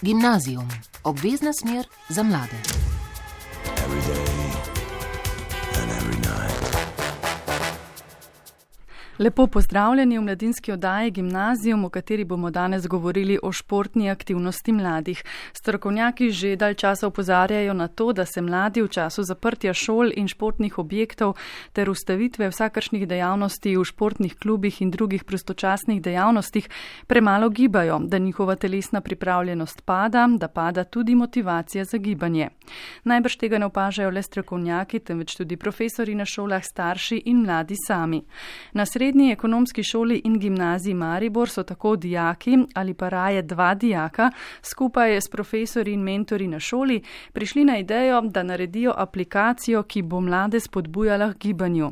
Gimnazijum, obvezna smer za mlade. Lepo pozdravljeni v mladinski oddaji Gimnazijum, v kateri bomo danes govorili o športni aktivnosti mladih. Strokovnjaki že dalj časa opozarjajo na to, da se mladi v času zaprtja šol in športnih objektov ter ustavitve vsakršnih dejavnosti v športnih klubih in drugih prostočasnih dejavnostih premalo gibajo, da njihova telesna pripravljenost pada, da pada tudi motivacija za gibanje. Najbrž tega ne opažajo le strokovnjaki, temveč tudi profesori na šolah, starši in mladi sami. Na Srednji ekonomski šoli in gimnaziji Maribor so tako dijaki ali pa raje dva dijaka skupaj s profesori in mentori na šoli prišli na idejo, da naredijo aplikacijo, ki bo mlade spodbujala k gibanju.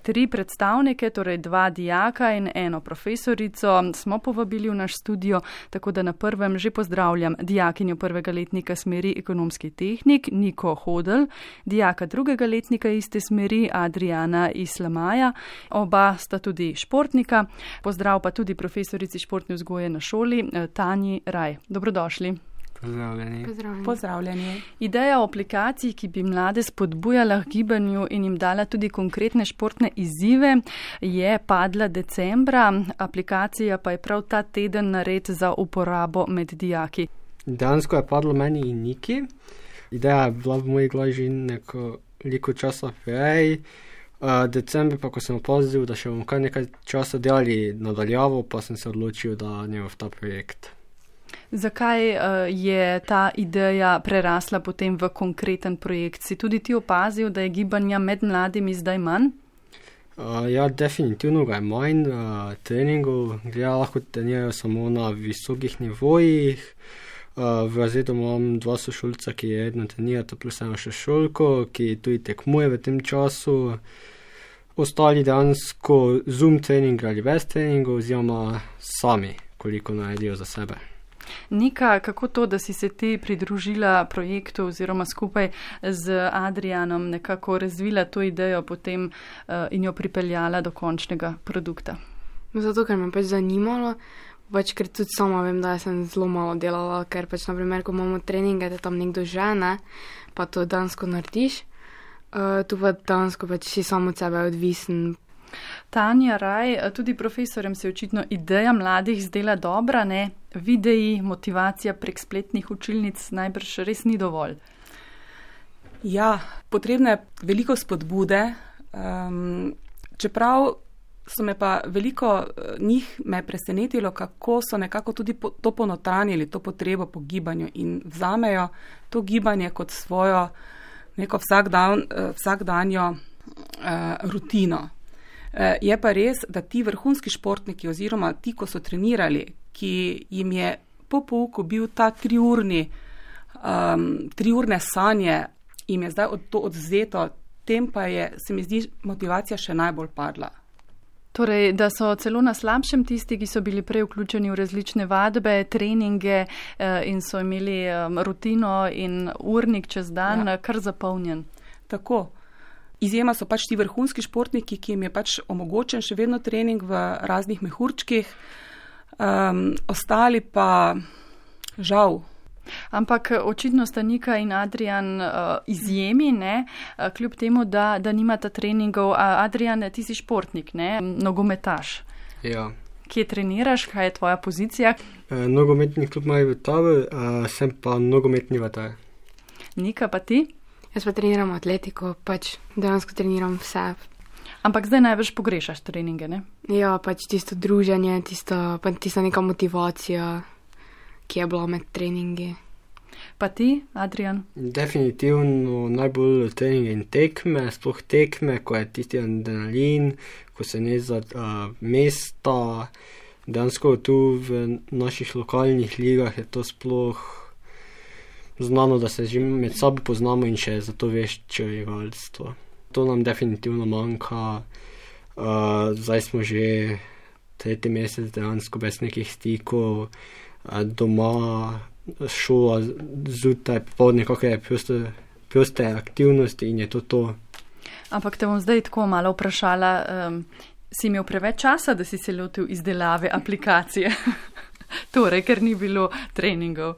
3 predstavnike, torej 2 dijaka in 1 profesorico, smo povabili v naš studio, tako da na prvem že pozdravljam dijakinjo 1. letnika smeri ekonomski tehnik Niko Hodl, dijaka 2. letnika iste smeri Adriana Islamaja, oba sta tudi športnika. Pozdrav pa tudi profesorici športne vzgoje na šoli Tanji Raj. Dobrodošli. Pozdravljeni. Ideja o aplikaciji, ki bi mlade spodbujala k gibanju in jim dala tudi konkretne športne izzive, je padla decembra. Aplikacija pa je prav ta teden nared za uporabo med dijaki. Dejansko je padlo meni in Niki. Ideja je bila v moji glavi že nekoliko časa prej. Decembra pa, ko sem opazil, da še bomo kar nekaj časa delali nadaljavo, pa sem se odločil, da ne v ta projekt. Zakaj je ta ideja prerasla potem v konkreten projekt? Si tudi ti opazil, da je gibanja med mladimi zdaj manj? Ja, definitivno ga je manj. Treningov lahko trenirajo samo na visokih nivojih. V razredu imam 2 sošolca, ki redno trenirata, plus 1 še šolko, ki tudi tekmuje v tem času. Ostali dejansko Zoom trening ali brez treningov, oziroma sami, koliko naredijo za sebe. Nika, kako to, da si se ti pridružila projektu oziroma skupaj z Adrianom nekako razvila to idejo potem in jo pripeljala do končnega produkta? Zato, ker me pač zanimalo, ker tudi sama vem, da sem zelo malo delala, ker pač naprimer, ko imamo treninge, da tam nekdo žene, pa to dansko narediš, tu pa dansko pač si samo od sebe odvisen. Tanja Raj, tudi profesorjem se očitno ideja mladih zdela dobra, ne? Videi, motivacija prek spletnih učilnic najbrž res ni dovolj. Ja, potrebno je veliko spodbude, čeprav so me pa veliko njih me presenetilo, kako so nekako tudi to ponotranjili, to potrebo po gibanju in vzamejo to gibanje kot svojo neko vsakdanjo rutino. Je pa res, da ti vrhunski športniki oziroma ti, ko so trenirali, ki jim je po pouku bil ta 3-urne sanje, jim je zdaj to odvzeto, tem pa je, se mi zdi, motivacija še najbolj padla. Torej, da so celo na slabšem tisti, ki so bili prej vključeni v različne vadbe, treninge in so imeli rutino in urnik čez dan kar zapolnjen. Tako. Izjema so pač ti vrhunski športniki, ki jim je pač omogočen še vedno trening v raznih mehurčkih, ostali pa žal. Ampak očitno sta Nika in Adrian izjemi, ne? Kljub temu, da nimata treningov. Adrian, ti si športnik, ne? Nogometaš. Ja. Kje treniraš? Kaj je tvoja pozicija? Nogometni klub Maribor Tabor, sem pa nogometni vratar. Nika, pa ti? Jaz pa treniram atletiko, pač dejansko treniram vse. Ampak zdaj največ pogrešaš treninge, ne? Ja, pač tisto druženje, tista neka motivacija, ki je bila med treningi. Pa ti, Adrian? Definitivno najbolj treninge in tekme, sploh tekme, ko je tisti adrenalin, ko se ne za mesta. Dejansko tu v naših lokalnih ligah je to sploh znano, da se že med sabo poznamo in še zato večje rivalstvo. To nam definitivno manjka. Zdaj smo že 3. mesec dejansko brez nekih stikov, doma, šola, zjutraj, popoldne, kakšne proste aktivnosti in je to. Ampak te bom zdaj tako malo vprašala, si imel preveč časa, da si se lotil izdelave aplikacije? Torej, ker ni bilo treningov.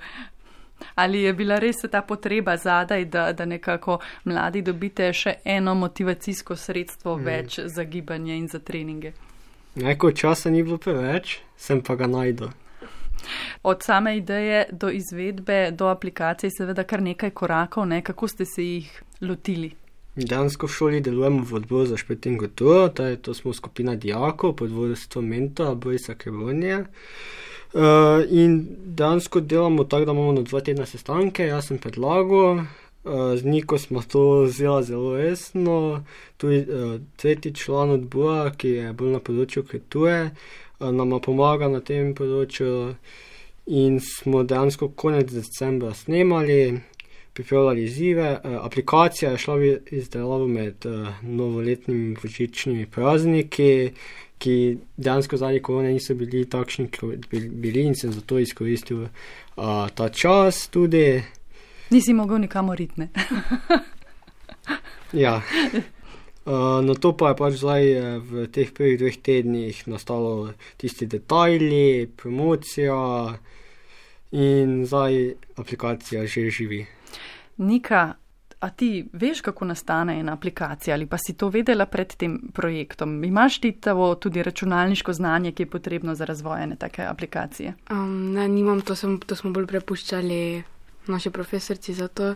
Ali je bila res ta potreba zadaj, da nekako mladi dobite še eno motivacijsko sredstvo več za gibanje in za treninge? Neko časa ni bilo preveč, sem pa ga najdel. Od same ideje do izvedbe, do aplikacije seveda kar nekaj korakov, ne? Kako ste se jih lotili? Dejansko v šoli delujemo v odboru za šport in kulturo, to smo skupina dijakov pod vodstvom mentora Borisa Krebonija. In dejansko delamo tako, da imamo na 2 tedna sestanke, jaz sem predlagal, z Niko smo to vzela zelo resno, tudi 3. član odbora, ki je bolj na področju kulture, nama pomaga na tem področju in smo dejansko konec decembra snemali, pripravljali izzive. Aplikacija je šla v izdelavo med novoletnimi božičnimi prazniki, ki dejansko zadnji korone niso bili takšni, kot bili in sem zato izkoristil ta čas tudi. Nisi mogel nikamor iti, ne? Ja. Na to pa je pač zdaj v teh prvih 2 tednih nastalo tisti detajli, promocija in zdaj aplikacija že živi. Nika, a ti veš, kako nastane ena aplikacija ali pa si to vedela pred tem projektom? Imaš ti tudi računalniško znanje, ki je potrebno za razvoj ene take aplikacije? Ne, nimam, to smo bolj prepuščali naši profesorci za to,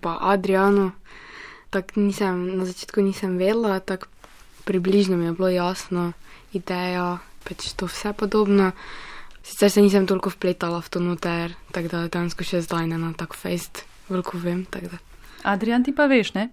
pa Adrianu. Tako na začetku nisem vedela, tako približno mi je bilo jasno, ideja, pač to vse podobno. Sicer se nisem toliko vpletala v to noter, tako da dejansko še zdaj ne na tak fejst veliko vem. Adrian, ti pa veš, ne?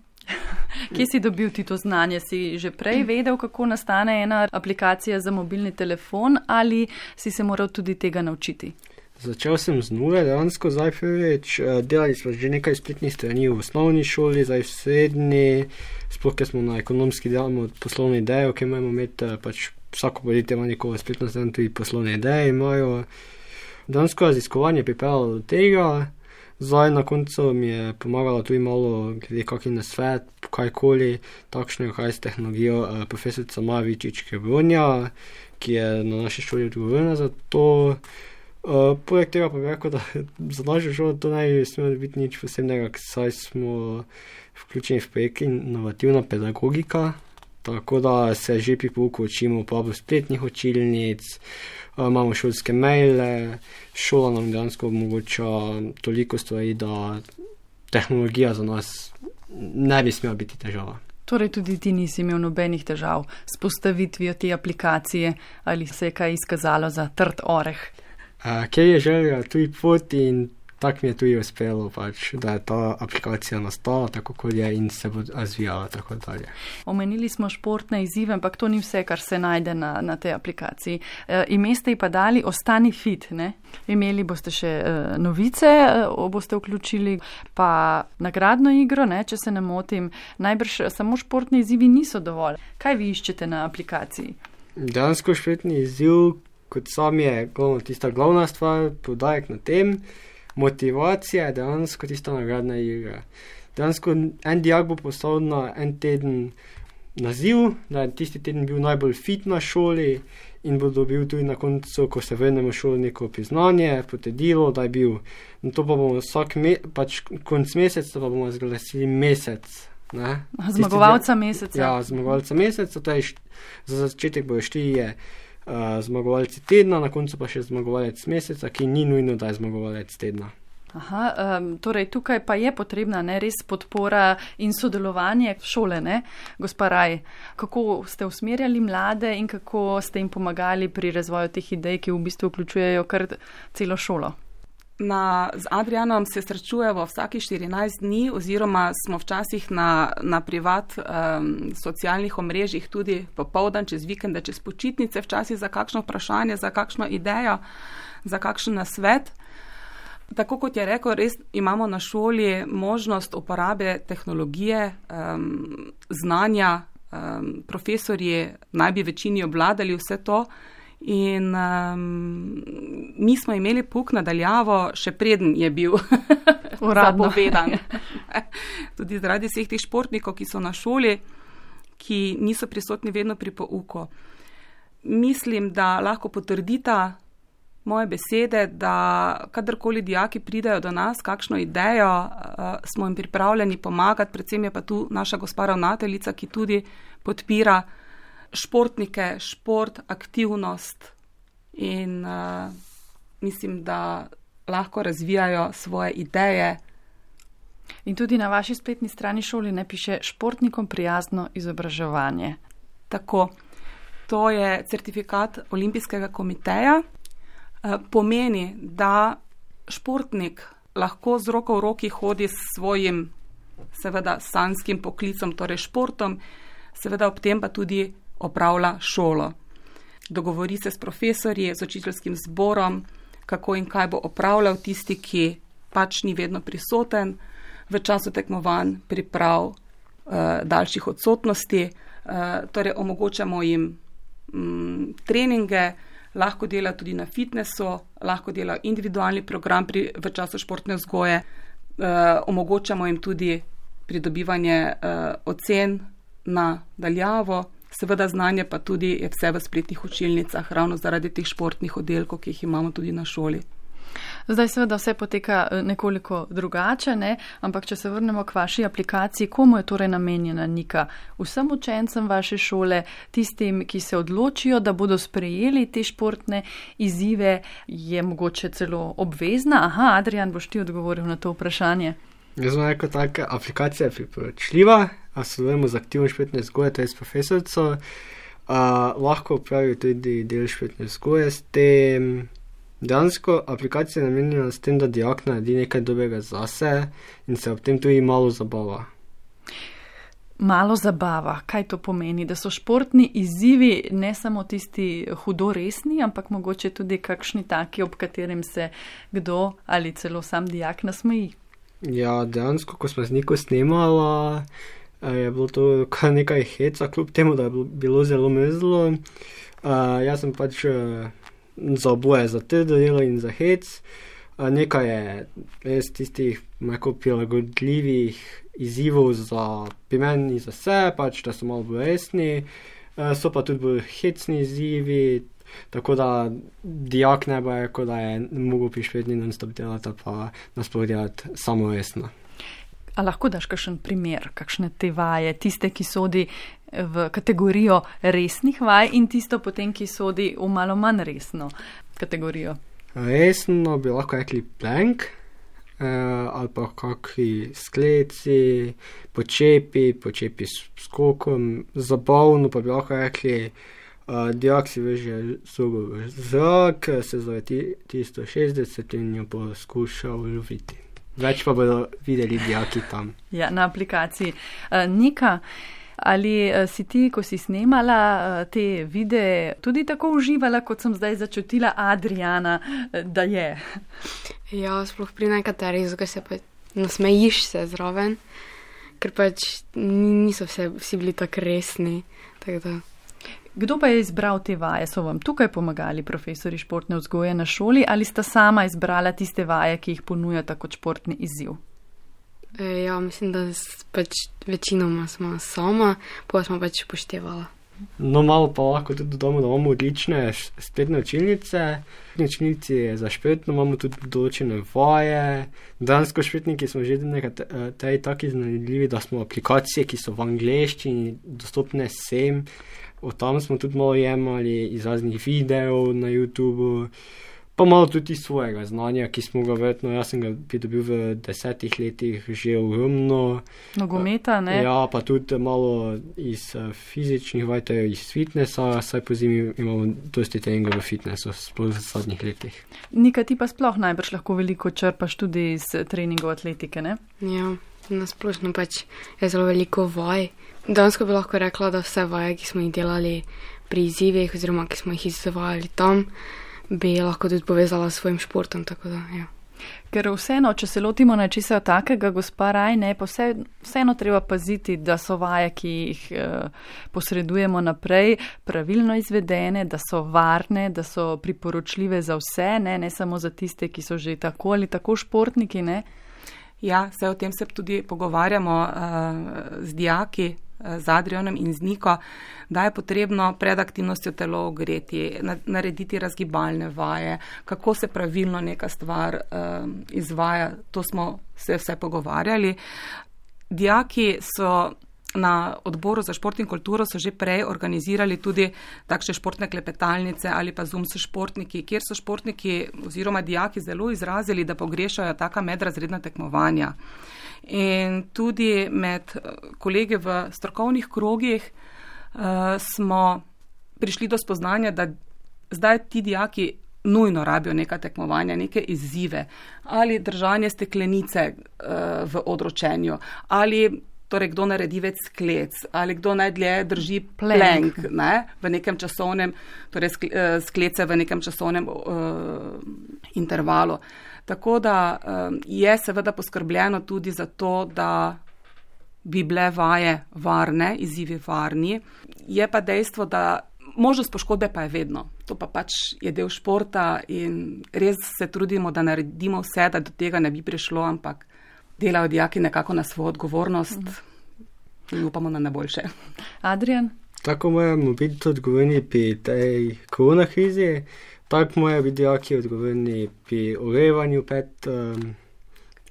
Kje si dobil ti to znanje? Si že prej vedel, kako nastane ena aplikacija za mobilni telefon ali si se moral tudi tega naučiti? Začel sem z nule, dejansko zdaj prvič. Delali smo že nekaj spletnih strani v osnovni šoli, zdaj v srednji, sploh ker smo na ekonomski delamo poslovno idejo, ki imamo imeti, pač vsako podjetje ima nekoga spletno stran, tudi poslovne ideje imajo. Dejansko raziskovanje pripravilo do tega, zdaj na koncu mi je pomagalo tudi malo glede kakšen nasvet, kajkoli takšnega, kaj s tehnologijo profesorica Maja Vičič-Krebonja, ki je na naši šoli odgovorna za to. Poleg tega pa bi rekel, da za našo šolo to ne smelo biti nič posebnega, saj smo vključeni v projekt inovativna pedagogika, tako da se že pri pouku učimo uporabo spletnih učilnic, imamo šolske maile, šola nam dejansko omogoča toliko stvari, da tehnologija za nas ne bi smela biti težava. Torej tudi ti nisi imel nobenih težav s postavitvijo te aplikacije ali se je kaj izkazalo za trd oreh? Kjer je želja tudi pot in tako mi je tudi uspelo, pač, da je ta aplikacija nastala tako, kot je in se bo razvijala tako dalje. Omenili smo športne izzive, ampak to ni vse, kar se najde na tej aplikaciji. Ime ste ji pa dali Ostani fit, ne? Imeli boste še novice, boste vključili pa nagradno igro, ne, če se ne motim. Najbrž samo športni izzivi niso dovolj. Kaj vi iščete na aplikaciji? Dejansko športni izziv, kot sam je tista glavna stvar, poudarek na tem, motivacija je dejansko tista nagradna igra. Dejansko en dijak bo postavil na en teden naziv, da je tisti teden bil najbolj fit na šoli in bo dobil tudi na koncu, ko se vrnemo v šolo, neko priznanje, potrdilo, da je bil. In to pa bomo pač konc meseca pa bomo zglasili mesec. Ne? Zmagovalca meseca. Ja, zmagovalca meseca, to je za začetek bojo 4 zmagovalci tedna, na koncu pa še zmagovalec meseca, ki ni nujno, da je zmagovalec tedna. Aha, torej tukaj pa je potrebna res podpora in sodelovanje šole, ne? Gospa Raj, kako ste usmerjali mlade in kako ste jim pomagali pri razvoju teh idej, ki v bistvu vključujejo kar celo šolo? Z Adrianom se srečujemo vsaki 14 dni oziroma smo včasih na privat socialnih omrežjih tudi popoldan, čez vikende, čez počitnice, včasih za kakšno vprašanje, za kakšno idejo, za kakšen nasvet. Tako kot je rekel, res imamo na šoli možnost uporabe tehnologije, znanja, profesorji naj bi večini obvladali vse to. In mi smo imeli pouk nadaljavo, še preden je bil zapovedan. Tudi zaradi vseh teh športnikov, ki so na šoli, ki niso prisotni vedno pri pouku. Mislim, da lahko potrdita moje besede, da kadarkoli dijaki pridejo do nas, kakšno idejo, smo jim pripravljeni pomagati, predvsem je pa tu naša gospa ravnateljica, ki tudi podpira športnike, šport, aktivnost in mislim, da lahko razvijajo svoje ideje. In tudi na vaši spletni strani šoli ne piše športnikom prijazno izobraževanje. Tako, to je certifikat Olimpijskega komiteja. Pomeni, da športnik lahko z roko v roki hodi s svojim, seveda, sanskim poklicom, torej športom, seveda ob tem pa tudi opravlja šolo. Dogovori se s profesorji, z učiteljskim zborom, kako in kaj bo opravljal tisti, ki pač ni vedno prisoten v času tekmovanj, priprav, daljših odsotnosti. Torej omogočamo jim treninge, lahko dela tudi na fitnessu, lahko dela individualni program v času športne vzgoje, omogočamo jim tudi pridobivanje ocen na daljavo, seveda znanje pa tudi je vse v spletnih učilnicah, ravno zaradi teh športnih oddelkov, ki jih imamo tudi na šoli. Zdaj seveda vse poteka nekoliko drugače, ne? Ampak če se vrnemo k vaši aplikaciji, komu je torej namenjena Nika? Vsem učencem vaše šole, tistim, ki se odločijo, da bodo sprejeli te športne izzive, je mogoče celo obvezna? Aha, Adrijan, boš ti odgovoril na to vprašanje. Jaz sem rekel, taka aplikacija je priporočljiva, a sodelujemo z aktivno športne vzgoje, to je s profesorico, lahko upravijo tudi del športne vzgoje s tem. Dejansko aplikacija je namenjena s tem, da dijak naredi nekaj dobrega zase in se ob tem tudi malo zabava. Malo zabava, kaj to pomeni? Da so športni izzivi ne samo tisti hudo resni, ampak mogoče tudi kakšni taki, ob katerim se kdo ali celo sam dijak nasmeji. Ja, dejansko, ko smo z Niko snemala, je bilo to kar nekaj heca, kljub temu, da je bilo zelo mrzlo. Jaz sem pač za oboje, za trdo delo in za hec. Nekaj je res tistih prilagodljivih izzivov pri meni za vse, pač, da so malo bolj resni. So pa tudi bolj hecni izzivi, tako da dijak ne bo rekel, da je mogel pri švedni non-stop delati, pa nasploh delati samo resno. A lahko daš kakšen primer, kakšne te vaje, tiste, ki sodi v kategorijo resnih vaj in tisto potem, ki sodi v malo manj resno kategorijo? Resno bi lahko rekli plank, ali pa kakvi skleci, počepi s skokom, zabavno pa bi lahko rekli, dijak si veže zobo v zrak, se zaveti 360 in jo bo skušal loviti. Več pa bodo videli dijaki tam. Ja, na aplikaciji. Nika, ali si ti, ko si snemala te videe, tudi tako uživala, kot sem zdaj začutila Adriana, da je? Ja, sploh pri nekaterih, zato se pa nasmejiš se zraven, ker pač niso vsi bili tako resni. Tako da. Kdo pa je izbral te vaje? So vam tukaj pomagali profesori športne vzgoje na šoli ali sta sama izbrala tiste vaje, ki jih ponujata kot športni izziv? Ja, mislim, da pač večinoma smo sama, pa smo pač upoštevala. No, malo pa lahko tudi dodamo, da imamo odlične spletne učilnice. V učilnici za športno imamo tudi določene vaje. Dejansko športniki smo že nekateri taki iznajdljivi, da smo aplikacije, ki so v angleščini dostopne vsem. Od tam smo tudi malo jemali iz raznih videov na YouTubeu, pa malo tudi svojega znanja, ki smo ga verjetno, jaz sem ga pridobil v 10 letih že ogromno. Nogometa, ne? Ja, pa tudi malo iz fizičnih vaj, to je iz fitnessa, saj po zimi imamo dosti treningov v fitnessu, sploh v zadnjih letih. Nika, ti pa sploh najbrž lahko veliko črpaš tudi iz treningov atletike, ne? Ja, nasplošno pač je zelo veliko vaj. Dansko bi lahko rekla, da vse vaje, ki smo jih delali pri izzivih oziroma ki smo jih izvajali tam, bi lahko tudi povezala s svojim športom, tako da, ja. Ker vseeno, če se lotimo nečesa takega, gospa Rajne, pa vseeno treba paziti, da so vaje, ki jih posredujemo naprej, pravilno izvedene, da so varne, da so priporočljive za vse, ne samo za tiste, ki so že tako ali tako športniki, ne? Ja, o tem se tudi pogovarjamo z dijaki, z Adrianom in z Niko, da je potrebno pred aktivnostjo telo ogreti, narediti razgibalne vaje, kako se pravilno neka stvar izvaja, to smo se vse pogovarjali. Dijaki so na odboru za šport in kulturo so že prej organizirali tudi takšne športne klepetalnice ali pa Zoom s športniki, kjer so športniki oziroma dijaki zelo izrazili, da pogrešajo taka medrazredna tekmovanja. In tudi med kolegi v strokovnih krogih smo prišli do spoznanja, da zdaj ti dijaki nujno rabijo neka tekmovanja, neke izzive, ali držanje steklenice v odročenju, ali torej kdo naredi več sklec, ali kdo najdlje drži plank v nekem časovnem, torej sklece v nekem časovnem intervalu. Tako da je seveda poskrbljeno tudi za to, da bi bile vaje varne, izzivi varni. Je pa dejstvo, da možnost poškodbe pa je vedno. To pa pač je del športa in res se trudimo, da naredimo vse, da do tega ne bi prišlo, ampak delajo dijaki nekako na svojo odgovornost in upamo na najboljše. Adrian? Tako moramo biti odgovorni pri tej korona krizi, tako morajo biti dijaki odgovorni pri ogrevanju pred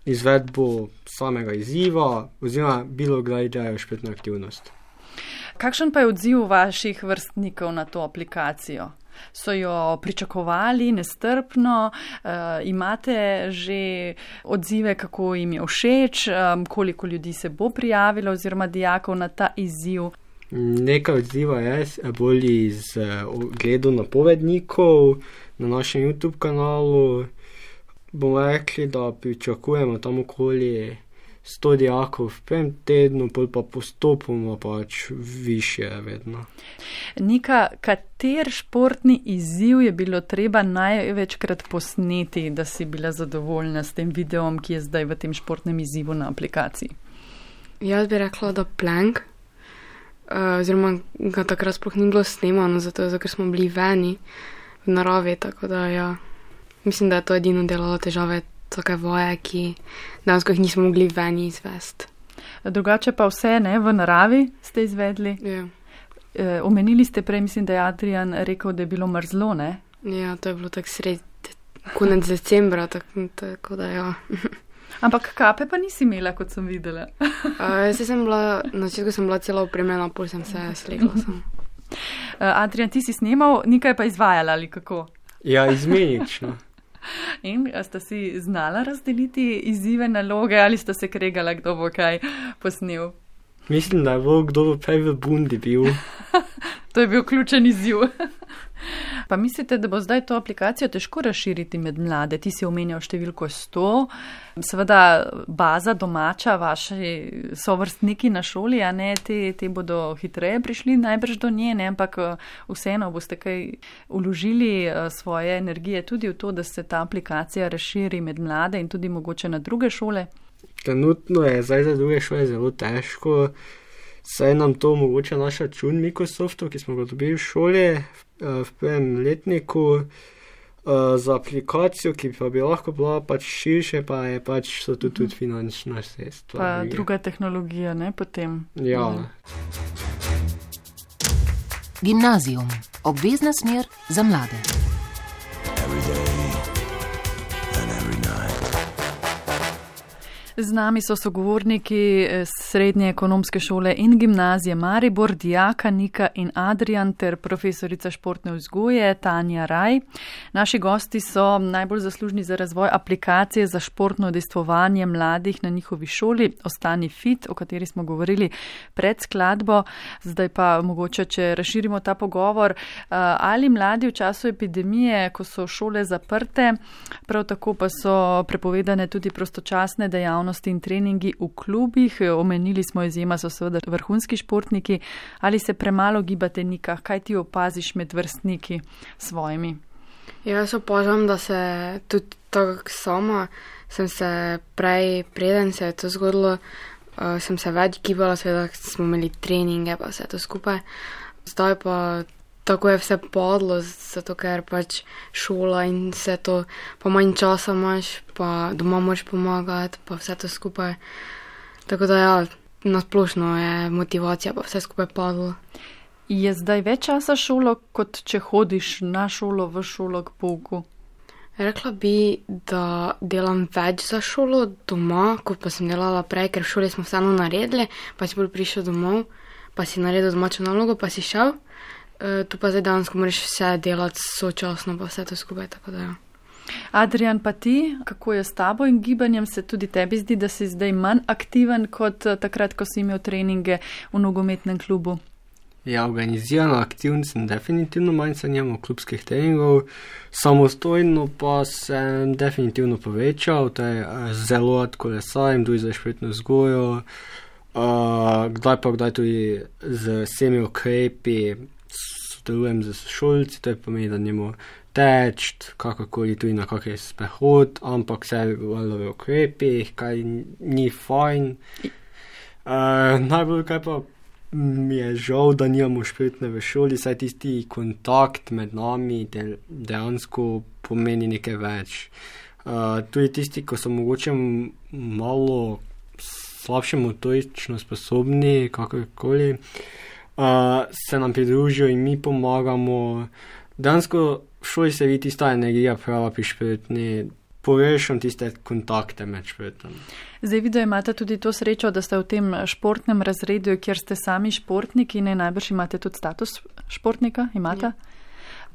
izvedbo samega izziva oziroma bilo kdaj dajo športno aktivnost. Kakšen pa je odziv vaših vrstnikov na to aplikacijo? So jo pričakovali nestrpno, imate že odzive, kako jim je všeč, koliko ljudi se bo prijavilo oziroma dijakov na ta izziv? Nekaj odziva je bolj iz ogledu napovednikov na našem YouTube kanalu. Bomo rekli, da pričakujemo tam okoli 100 dijakov v prvem tednu, pa postopoma pač više vedno. Nika, kater športni izziv je bilo treba največkrat posneti, da si bila zadovoljna s tem videom, ki je zdaj v tem športnem izzivu na aplikaciji? Jaz bi rekla, da plank, oziroma ga takrat sploh ni bilo snemano, zato ker smo bili veni v naravi, tako da ja, mislim, da je to edino delalo težave, take vaje, ki dejansko jih nismo mogli veni izvesti. Drugače pa vse, ne, v naravi ste izvedli? Ja. Omenili ste prej, mislim, da je Adrian rekel, da je bilo mrzlo, ne? Ja, to je bilo tako konec decembra, tako da ja. Ampak kape pa nisi imela, kot sem videla. Na začetku sem bila celo opremljena, pol sem se slegla sem. Adrian, ti si snemal, Nika je pa izvajala ali kako? Ja, izmenično. In sta si znala razdeliti izzive, naloge ali sta se kregala, kdo bo kaj posnel? Mislim, da je bilo kdo bo prej v bundi bil. To je bil ključen izziv. Pa mislite, da bo zdaj to aplikacijo težko razširiti med mlade? Ti si omenjal številko 100, seveda baza domača, vaši sovrstniki na šoli, a ne, te bodo hitreje prišli najbrž do nje, ne, ampak vseeno boste kaj vložili svoje energije tudi v to, da se ta aplikacija razširi med mlade in tudi mogoče na druge šole? Trenutno je zdaj za druge šole zelo težko, saj nam to omogoča naš račun Microsoftu, ki smo ga dobili v šoli v prvem letniku. Za aplikacijo, ki pa bi lahko bila pač širše, pa je pač so tudi finančna sredstva. Pa druga tehnologija, ne, potem. Ja. Gimnazijum. Obvezna smer za mlade. Z nami so sogovorniki Srednje ekonomske šole in gimnazije Maribor, dijaka Nika in Adrian ter profesorica športne vzgoje Tanja Raj. Naši gosti so najbolj zaslužni za razvoj aplikacije za športno udejstvovanje mladih na njihovi šoli Ostani fit, o kateri smo govorili pred skladbo. Zdaj pa mogoče, če razširimo ta pogovor, ali mladi v času epidemije, ko so šole zaprte, prav tako pa so prepovedane tudi prostočasne dejavnosti in treningi v klubih, omenili smo izjema so seveda vrhunski športniki, ali se premalo gibate, Nika, kaj ti opaziš med vrstniki svojimi? Jaz opažam, da se tudi tako sama, sem se preden se je to zgodilo, sem se več gibala, seveda smo imeli treninge pa vse to skupaj, zdaj pa tako je vse padlo, zato ker pač šola in vse to, pa manj časa imaš, pa doma moraš pomagati, pa vse to skupaj. Tako da ja, nasplošno je motivacija pa vse skupaj padlo. Je zdaj več časa šolo, kot če hodiš na šolo, v šolo k pouku? Rekla bi, da delam več za šolo doma, kot pa sem delala prej, ker v šoli smo vseeno naredili, pa si bolj prišel domov, pa si naredil domačo nalogo, pa si šel. Tu pa zdaj dejansko moraš vse delati sočasno, pa vse to skupaj, tako da ja. Adrian, pa ti, kako je s tabo in gibanjem? Se tudi tebi zdi, da si zdaj manj aktiven kot takrat, ko si imel treninge v nogometnem klubu? Ja, organizirano aktivn sem definitivno manj, se nimamo klubskih treningov, samostojno pa sem definitivno povečal, to je zelo rad kolesarim, tudi za športno vzgojo, kdaj tudi z vsemi ukrepi sodelujem z šolci, to je pomeni, da njemu teč, kakorkoli tudi na kakšen sprehod, ampak vse v ukrepih, kaj ni fajn. Najbolj kaj pa mi je žal, da nimamo športne v šoli, saj tisti kontakt med nami dejansko pomeni nekaj več. Tudi tisti, ko so mogoče malo slabše motorično sposobni, kakorkoli, se nam pridružijo in mi pomagamo. Dejansko v šoli se vidi tista energija prava pri športni, povešam tiste kontakte med športom. Zdaj vidim, imate tudi to srečo, da ste v tem športnem razredu, kjer ste sami športniki, ne najbrž imate tudi status športnika, imate? Ja.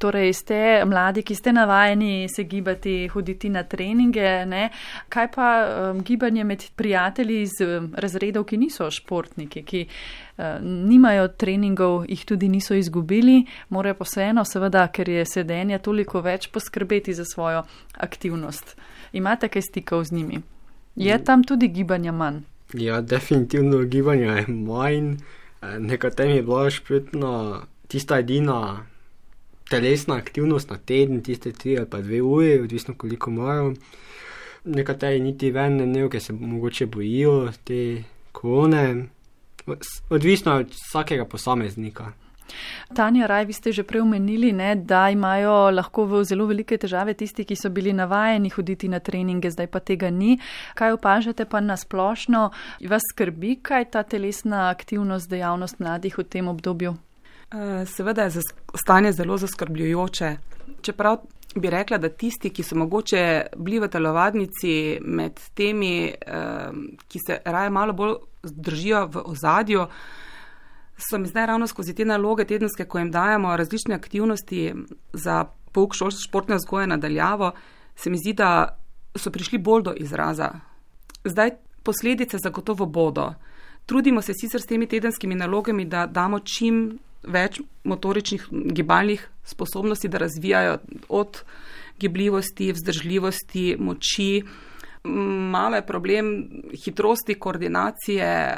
Torej ste mladi, ki ste navajeni se gibati, hoditi na treninge, ne? Kaj pa gibanje med prijatelji iz razredov, ki niso športniki, ki nimajo treningov, jih tudi niso izgubili, morajo pa vseeno, seveda, ker je sedenja toliko več, poskrbeti za svojo aktivnost. Imate kaj stikov z njimi? Je tam tudi gibanja manj? Ja, definitivno gibanja je manj. Nekaterim je bila športna tista edina telesna aktivnost na teden, tiste 3 ali pa 2 uri, odvisno koliko morajo. Nekateri niti ven ne, ker se mogoče bojijo te korone. Odvisno od vsakega posameznika. Tanja Raj, vi ste že prej omenili, ne, da imajo lahko zelo velike težave tisti, ki so bili navajeni hoditi na treninge, zdaj pa tega ni. Kaj opažate pa na splošno? Vas skrbi, kaj ta telesna aktivnost, dejavnost mladih v tem obdobju? Seveda je stanje zelo zaskrbljujoče. Čeprav bi rekla, da tisti, ki so mogoče bili v telovadnici med temi, ki se raje malo bolj držijo v ozadju, so mi zdaj ravno skozi te naloge tedenske, ko jim dajemo različne aktivnosti za pouk športne vzgoje nadaljavo, se mi zdi, da so prišli bolj do izraza. Zdaj posledice zagotovo bodo. Trudimo se sicer s temi tedenskimi nalogami, da damo čim več motoričnih gibalnih sposobnosti, da razvijajo od gibljivosti, vzdržljivosti, moči. Malo je problem hitrosti, koordinacije,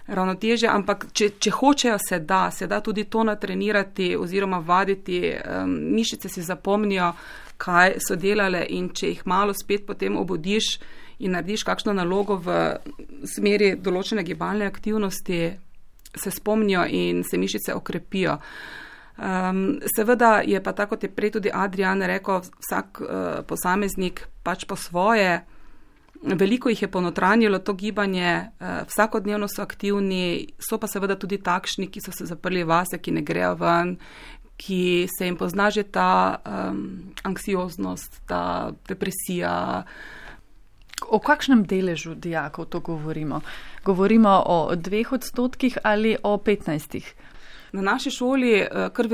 ravnotežja, ampak če hočejo, se da tudi to natrenirati oziroma vaditi. Mišice si zapomnijo, kaj so delale, in če jih malo spet potem obudiš in narediš kakšno nalogo v smeri določene gibalne aktivnosti, se spomnijo in se mišice okrepijo. Seveda je pa tako, kot je prej tudi Adrian rekel, vsak posameznik pač po svoje. Veliko jih je ponotranjilo to gibanje, vsakodnevno so aktivni, so pa seveda tudi takšni, ki so se zaprli vase, ki ne grejo ven, ki se jim pozna že ta anksioznost, ta depresija. O kakšnem deležu dijakov to govorimo? Govorimo o 2% ali o 15%? Na naši šoli kar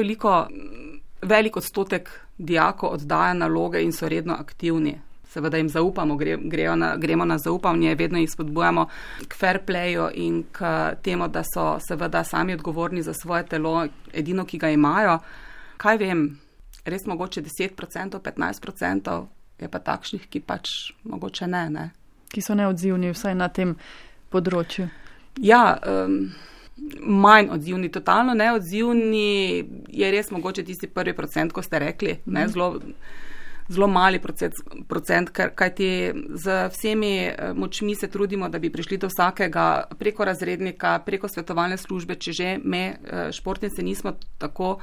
velik odstotek dijakov oddaja naloge in so redno aktivni. Seveda jim zaupamo, gremo na zaupanje, vedno jih spodbujamo k fair playu in k temu, da so seveda sami odgovorni za svoje telo, edino, ki ga imajo. Kaj vem, res mogoče 10%, 15%, je pa takšnih, ki pač mogoče ne. Ki so neodzivni vsaj na tem področju. Ja, manj odzivni, totalno neodzivni je res mogoče tisti 1%, ko ste rekli, ne, zelo mali procent, kajti z vsemi močmi se trudimo, da bi prišli do vsakega preko razrednika, preko svetovalne službe, če že me športnice nismo tako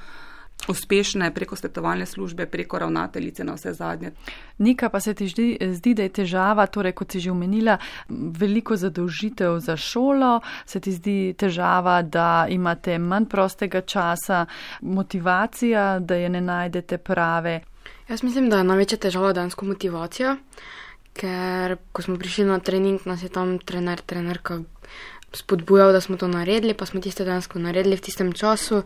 uspešne preko svetovalne službe, preko ravnateljice na vse zadnje. Nika, pa se ti zdi, da je težava, torej kot si že omenila, veliko zadolžitev za šolo, se ti zdi težava, da imate manj prostega časa, motivacija, da je ne najdete prave? Jaz mislim, da je največja težava dejansko motivacija, ker ko smo prišli na trening, nas je tam trenerka spodbujal, da smo to naredili, pa smo tiste dejansko naredili v tistem času.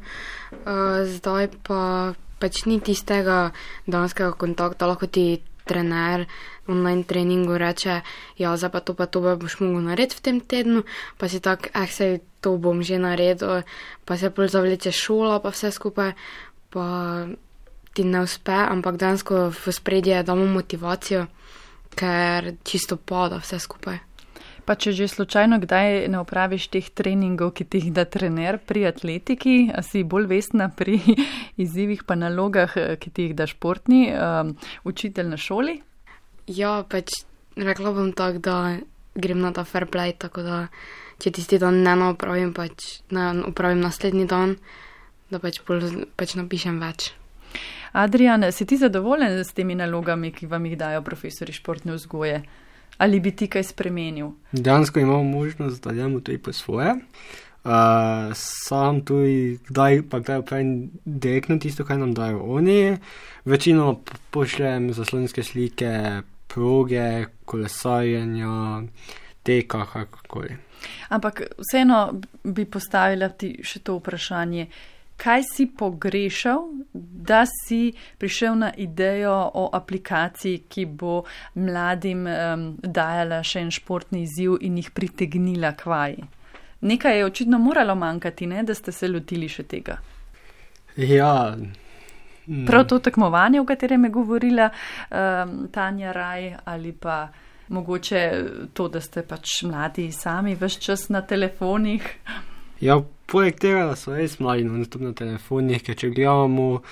Zdaj pa pač ni tistega dejanskega kontakta, lahko ti trener online treningu reče, ja, zdaj pa to boš mogel narediti v tem tednu, pa si tak, sej to bom že naredil, pa se pol zavleče šola, pa vse skupaj, pa ti ne uspe, ampak dejansko v spredje damo motivacijo, ker čisto pada vse skupaj. Pa če že slučajno kdaj ne opraviš teh treningov, ki ti jih da trener pri atletiki, si bolj vestna pri izzivih pa nalogah, ki ti jih da športni učitelj na šoli? Ja, pač rekla bom tako, da grem na ta fair play, tako da če tisti dan ne opravim, pač ne opravim naslednji dan, da pač napišem več. Adrian, si ti zadovoljen s temi nalogami, ki vam jih dajo profesori športne vzgoje? Ali bi ti kaj spremenil? Dejansko imamo možnost, da delamo tudi po svoje. Sam tudi kdaj opravim direktno tisto, kaj nam dajo oni. Večino pošljem zaslonske slike, proge, kolesarjenja, teka, kakorkoli. Ampak vseeno bi postavila ti še to vprašanje. Kaj si pogrešal, da si prišel na idejo o aplikaciji, ki bo mladim dajala še en športni izziv in jih pritegnila k vaji? Nekaj je očitno moralo manjkati, ne, da ste se lotili še tega. Ja. Prav to tekmovanje, o katerem je govorila Tanja Raj, ali pa mogoče to, da ste pač mladi sami ves čas na telefonih? Ja, poleg tega, da so res mladi na telefonih, ker če gledamo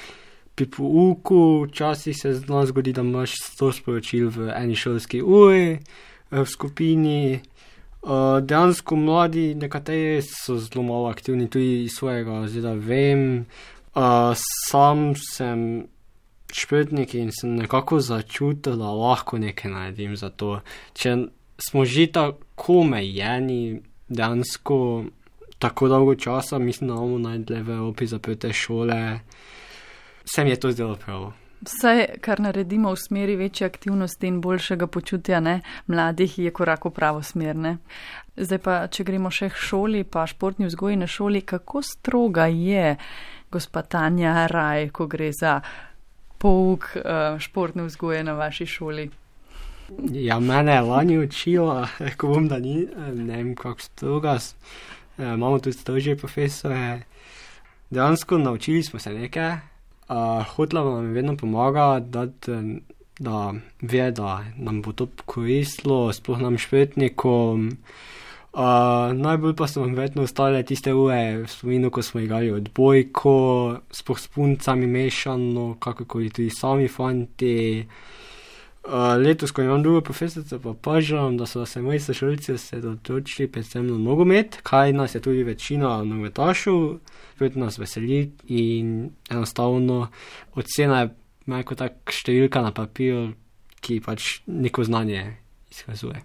pri pouku, včasih se z nas zgodi, da imaš 100 sporočil v eni šolski uri, v skupini. Dejansko mladi, nekateri so zelo malo aktivni, tudi iz svojega razreda vem. Sam sem športnik in sem nekako začutil, da lahko nekaj naredim za to. Če smo že tako omejeni, dejansko tako dolgo časa, mislim, da bomo najdli v Evropi zaprte šole, se mi je to zdelo prav. Vse, kar naredimo v smeri večje aktivnosti in boljšega počutja, ne, mladih, je korak v pravo smer, ne. Zdaj pa, če gremo še k šoli, pa športni vzgoji na šoli, kako stroga je gospa Tanja Raj, ko gre za pouk športne vzgoje na vaši šoli? Ja, mene je lani učila, ko bom, da ni, ne vem, kako stroga. Imamo tudi strožje profesore. Dejansko naučili smo se nekaj. Hotela nam je vedno pomagati, da ve, da nam bo to koristilo, sploh nam športnikom. Najbolj pa so nam vedno ostale tiste ure v spominu, ko smo igrali odbojko, sploh s puncami mešano, kakorkoli tudi sami fanti. Letos, ko imam drugo profesorico, pa pažam, da so se moji sošolci osredotočili predvsem na nogomet, kaj nas je tudi večina nogometašev, spet nas veseli in enostavno ocena je malo tak številka na papir, ki pač neko znanje izkazuje.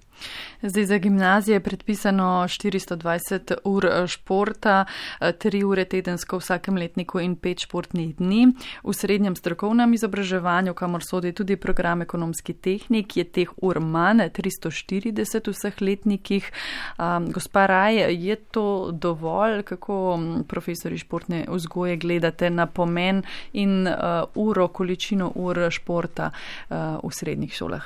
Zdaj za gimnazije je predpisano 420 ur športa, 3 ure tedensko v vsakem letniku in 5 športnih dni. V srednjem strokovnem izobraževanju, kamor sodi tudi program ekonomski tehnik, je teh ur manj, 340 v vseh letnikih. Gospa Raj, je to dovolj? Kako profesori športne vzgoje gledate na pomen in količino ur športa v srednjih šolah?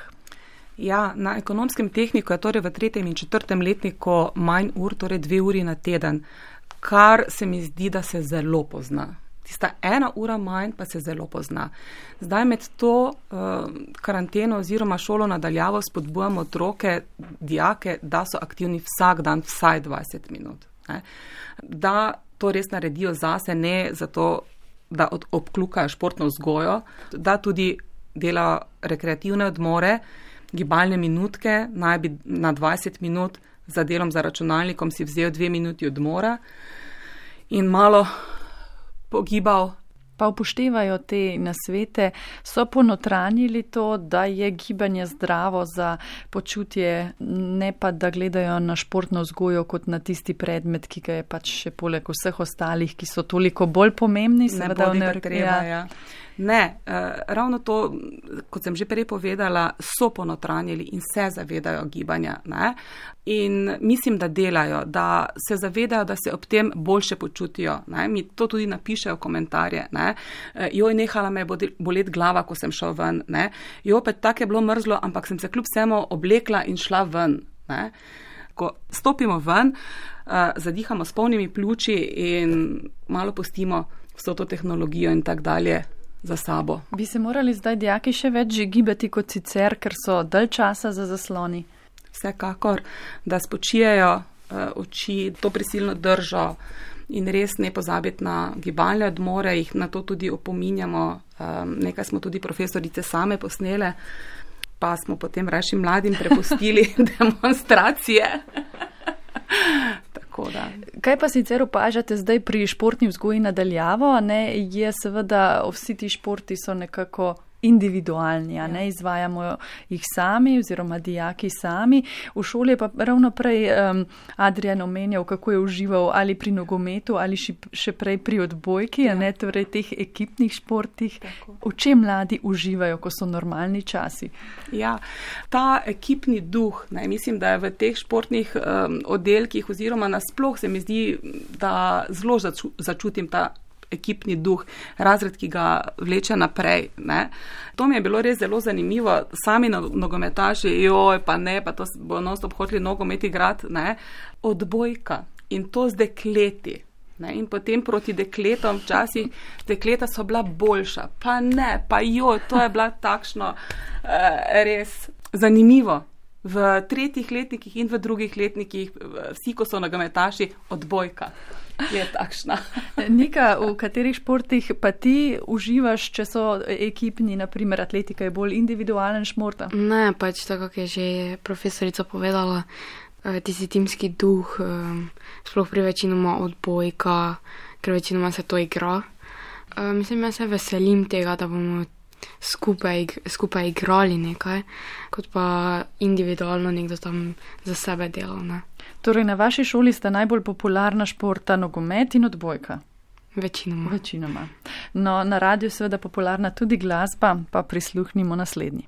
Ja, na ekonomskem tehniku je torej v 3. in 4. letniku manj ur, torej 2 uri na teden, kar se mi zdi, da se zelo pozna. Tista 1 ura manj pa se zelo pozna. Zdaj med to karanteno oziroma šolo nadaljavo spodbujamo otroke, dijake, da so aktivni vsak dan vsaj 20 minut. Ne? Da to res naredijo zase, ne zato, da obklukajo športno vzgojo, da tudi delajo rekreativne odmore, gibalne minutke, naj bi na 20 minut za delom za računalnikom si vzel 2 minuti odmora in malo pogibal pa upoštevajo te nasvete, so ponotranjili to, da je gibanje zdravo za počutje, ne pa da gledajo na športno vzgojo kot na tisti predmet, ki ga je pač še poleg vseh ostalih, ki so toliko bolj pomembni. Ne bodi ga treba, ja. Ne, ravno to, kot sem že prej povedala, so ponotranjili in se zavedajo gibanja. Ne? In mislim, da delajo, da se zavedajo, da se ob tem boljše počutijo. Ne? Mi to tudi napišejo v komentarje. Ne? Joj, nehala me je boleti glava, ko sem šel ven. Ne? Joj, pa tako je bilo mrzlo, ampak sem se kljub vsemu oblekla in šla ven. Ne? Ko stopimo ven, zadihamo s polnimi pljuči in malo pustimo vso to tehnologijo in tak dalje za sabo. Bi se morali zdaj dijaki še več gibati kot sicer, ker so dalj časa za zasloni? Vsekakor, da spočijejo oči, to prisilno držo in res ne pozabiti na gibalne odmore, jih na to tudi opominjamo. Nekaj smo tudi profesorice same posnele, pa smo potem raje mladim prepustili demonstracije. Kaj pa sicer opažate zdaj pri športni vzgoji nadaljavo? Je seveda, vsi ti športi so nekako individualni, ne izvajamo jih sami oziroma dijaki sami. V šoli je pa ravno prej Adrian omenjal, kako je užival ali pri nogometu ali še prej pri odbojki, ne, torej teh ekipnih športih. Tako. V čem mladi uživajo, ko so normalni časi? Ja, ta ekipni duh, mislim, da je v teh športnih oddelkih oziroma nasploh se mi zdi, da zelo začutim ta ekipni duh, razred, ki ga vleče naprej. Ne. To mi je bilo res zelo zanimivo. Sami nogometaši, pa to bo non-stop hoteli nogomet igrati, ne. Odbojka in to z dekleti. Ne. In potem proti dekletom včasih dekleta so bila boljša. Pa ne, to je bila takšno res zanimivo. V 3. letnikih in v 2. letnikih, vsi, ko so nogometaši, odbojka je takšna. Nika, v katerih športih pa ti uživaš, če so ekipni, naprimer atletika je bolj individualen šport? Ne, pač tako, kot je že profesorica povedala, tisti timski duh, sploh pri večinoma odbojka, ker večinoma se to igra. Mislim, jaz se veselim tega, da bomo skupaj igrali nekaj, kot pa individualno nekdo tam za sebe delal. Ne. Torej, na vaši šoli sta najbolj popularna športa nogomet in odbojka? Večinoma. No, na radiju seveda popularna tudi glasba, pa prisluhnimo naslednji.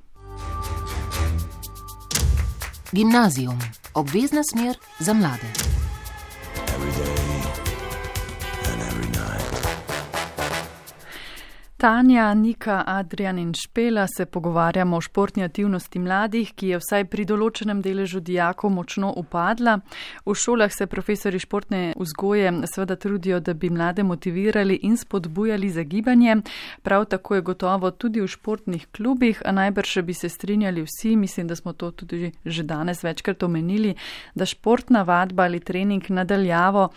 Gimnazijum. Obvezna smer za mlade. Tanja, Nika, Adrian in Špela se pogovarjamo o športni aktivnosti mladih, ki je vsaj pri določenem deležu dijakov močno upadla. V šolah se profesori športne vzgoje seveda trudijo, da bi mlade motivirali in spodbujali za gibanje. Prav tako je gotovo tudi v športnih klubih, a najbrž bi se strinjali vsi, mislim, da smo to tudi že danes večkrat omenili, da športna vadba ali trening nadaljavo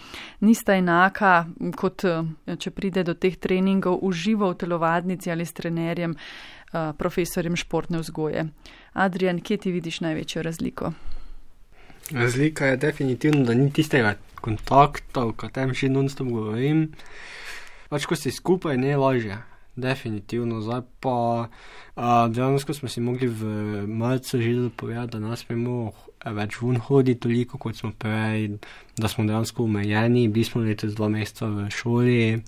nista enaka, kot če pride do teh treningov v živo v telovadnici ali s trenerjem, profesorjem športne vzgoje. Adrian, kje ti vidiš največjo razliko? Razlika je definitivno, da ni tistega kontakta, o katerem že non-stop govorim. Pač, ko si skupaj, ne lažje. Definitivno. Zdaj pa dejansko smo si mogli v marcu že povedati, da nas smemo več ven hoditi toliko, kot smo prej, da smo dejansko omejeni. Bili smo letos 2 meseca v šoli.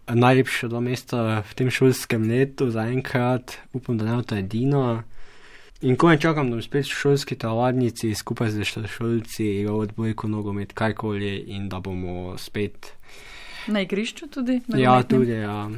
Najlepše 2 meseca v tem šolskem letu zaenkrat, upam, da ne bo to edino. In ko ne čakam, da bom spet v šolski telovadnici skupaj z šolci igral odbojko, nogomet, karkoli in da bomo spet na igrišču tudi? Ja, tudi, ja.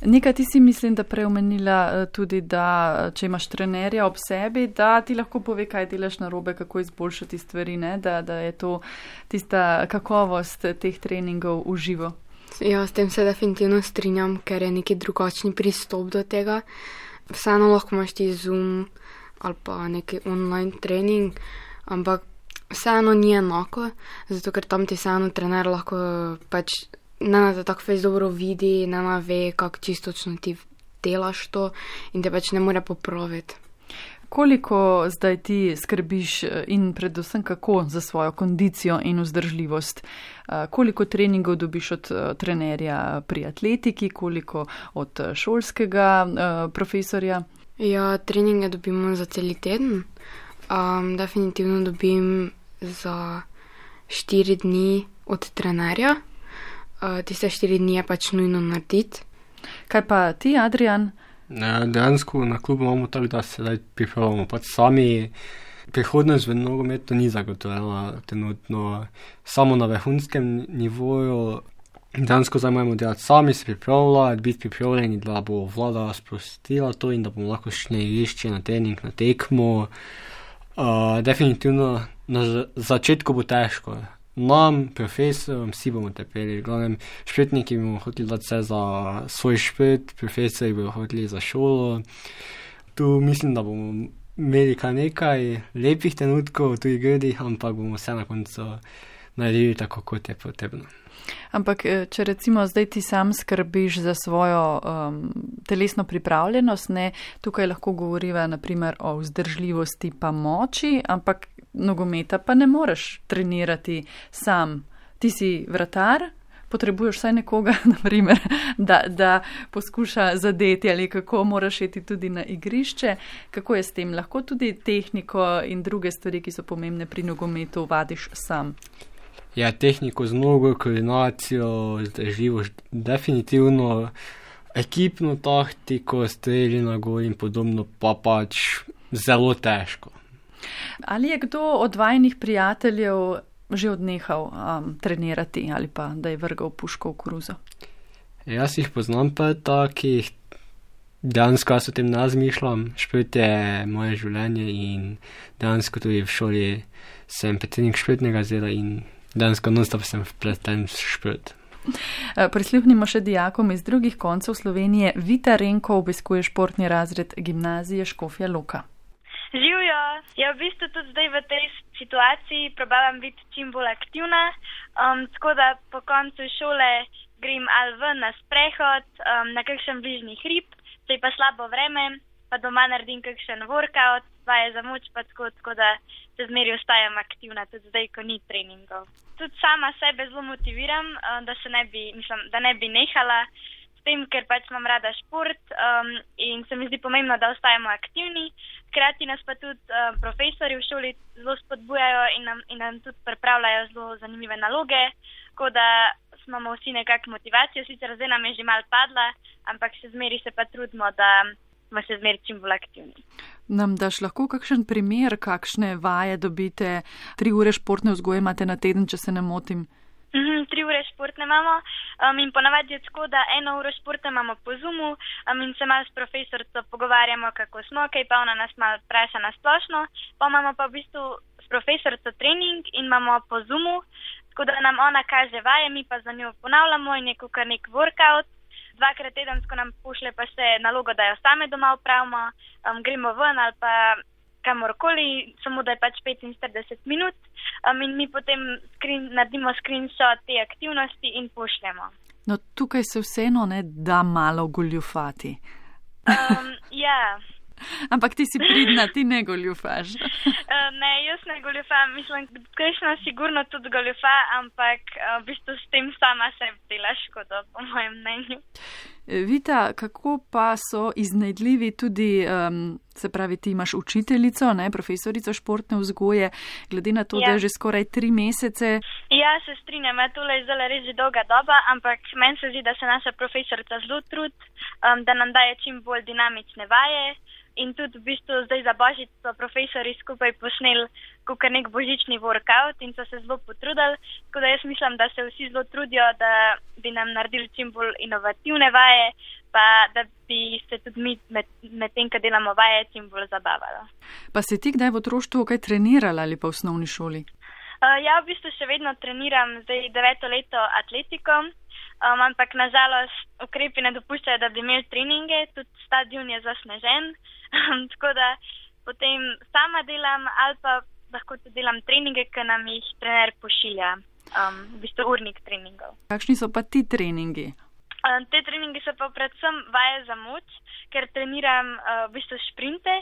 Nika, ti si mislim, da preomenila tudi, da če imaš trenerja ob sebi, da ti lahko pove, kaj delaš narobe, kako izboljšati stvari, ne? Da je to tista kakovost teh treningov v živo. Ja, s tem se definitivno strinjam, ker je neki drugačni pristop do tega. Vseeno lahko imaš ti Zoom ali pa neki online trening, ampak vseeno ni enako, zato ker tam ti vseeno trener lahko pač ne te tako fejs dobro vidi, ne ve, kako čistočno ti delaš to in te pač ne more popraviti. Koliko zdaj ti skrbiš in predvsem kako za svojo kondicijo in vzdržljivost? Koliko treningov dobiš od trenerja pri atletiki, koliko od šolskega profesorja? Ja, treninge dobimo za celi teden. Definitivno dobim za 4 dni od trenerja. Tiste 4 dni je pač nujno narediti. Kaj pa ti, Adrian? Dejansko na klubu imamo tako, da se zdaj pripravljamo pač sami. Prihodnost v nogometu ni zagotovljena trenutno samo na vrhunskem nivoju. Dejansko zdaj moramo delati sami, se pripravljati, biti pripravljeni, da bo vlada sprostila to in da bomo lahko šli na igrišče, na trening, na tekmo. Definitivno na začetku bo težko. Nam, profesorom, vsi bomo trpeli. Glavnem, športniki bomo hoteli dati vse za svoj šport, profesori bomo hoteli za šolo. Tu mislim, da bomo imeli kar nekaj lepih trenutkov, tudi grdih, ampak bomo vse na koncu naredili tako, kot je potrebno. Ampak, če recimo zdaj ti sam skrbiš za svojo telesno pripravljenost, ne, tukaj lahko govoriva naprimer o vzdržljivosti pa moči, ampak nogometa pa ne moreš trenirati sam. Ti si vratar, potrebuješ vsaj nekoga, naprimer, da poskuša zadeti ali kako moraš iti tudi na igrišče. Kako je s tem? Lahko tudi tehniko in druge stvari, ki so pomembne pri nogometu, vadiš sam? Ja, tehniko z nogo, koordinacijo, vzdržljivost, definitivno ekipno taktiko, strelji na gol in podobno pa pač zelo težko. Ali je kdo od vajinih prijateljev že odnehal trenirati ali pa da je vrgal puško v koruzo? Jaz jih poznam pa takih, dejansko jaz o tem ne razmišljam, šport je moje življenje in dejansko tudi v šoli sem predsednik športnega razreda in dejansko non-stop sem vpleten v šport. Prisluhnimo še dijakom iz drugih koncev Slovenije. Vita Renko obiskuje športni razred gimnazije Škofja Loka. Živjo, ja v bistvu tudi zdaj v tej situaciji probavam biti čim bolj aktivna, tako da po koncu šole grem ali ven na sprehod, na kakšen bližnji hrib, če je pa slabo vreme, pa doma naredim kakšen workout, vaje za moč, pa tako da se zmeri ostajam aktivna, tudi zdaj, ko ni treningov. Tudi sama sebe zelo motiviram, da ne bi nehala s tem, ker pač imam rada šport in se mi zdi pomembno, da ostajamo aktivni. Hkrati nas pa tudi profesori v šoli zelo spodbujajo in nam tudi pripravljajo zelo zanimive naloge, tako da imamo vsi nekako motivacijo, sicer zdaj nam je že malo padla, ampak še zmeri se pa trudimo, da smo še zmeri čim bolj aktivni. Nam daš lahko kakšen primer, kakšne vaje dobite? 3 ure športne vzgoje imate na teden, če se ne motim? 3 ure športne imamo in ponavadi je tako, da 1 uro športne imamo po Zoomu in se malo s profesorico pogovarjamo, kako smo, kaj pa ona nas malo vpraša na splošno. Pa imamo pa v bistvu s profesorico trening in imamo po Zoomu, tako da nam ona kaže vaje, mi pa za njo ponavljamo in je kakor nek workout. 2-krat tedensko nam pošle pa še nalogo, da jo same doma upravimo, gremo ven ali pa kamorkoli, samo da je pač 45 minut in mi potem naredimo screenshot te aktivnosti in pošljemo. No, tukaj se vseeno ne da malo goljufati. Ja. Ampak ti si pridna, ti ne goljufaš. Ne, jaz ne goljufam, mislim, kakšno sigurno tudi goljufa, ampak v bistvu s tem sama sebi dela škodo, po mojem mnenju. Vita, kako pa so iznajdljivi tudi, se pravi, ti imaš učiteljico, ne, profesorico športne vzgoje, glede na to, da je že skoraj 3 mesece. Ja, se strinjam, tole je zelo res že dolga doba, ampak meni se zdi, da se naša profesorica zelo trudi, da nam daje čim bolj dinamične vaje. In tudi v bistvu zdaj za Božič so profesori skupaj posneli kakor nek božični workout in so se zelo potrudili. Tako da jaz mislim, da se vsi zelo trudijo, da bi nam naredili čim bolj inovativne vaje, pa da bi se tudi mi med tem, ko delamo vaje, čim bolj zabavali. Pa si ti kdaj v otroštvu kaj trenirala ali pa v osnovni šoli? Ja, v bistvu še vedno treniram zdaj 9. leto atletiko. Ampak nažalost ukrepi ne dopuščajo, da bi imeli treninge, tudi stadion je zasnežen, tako da potem sama delam ali pa lahko tudi delam treninge, ki nam jih trener pošilja, v bistvu urnik treningov. Kakšni so pa ti treningi? Te treningi so pa predvsem vaje za moč, ker treniram v bistvu šprinte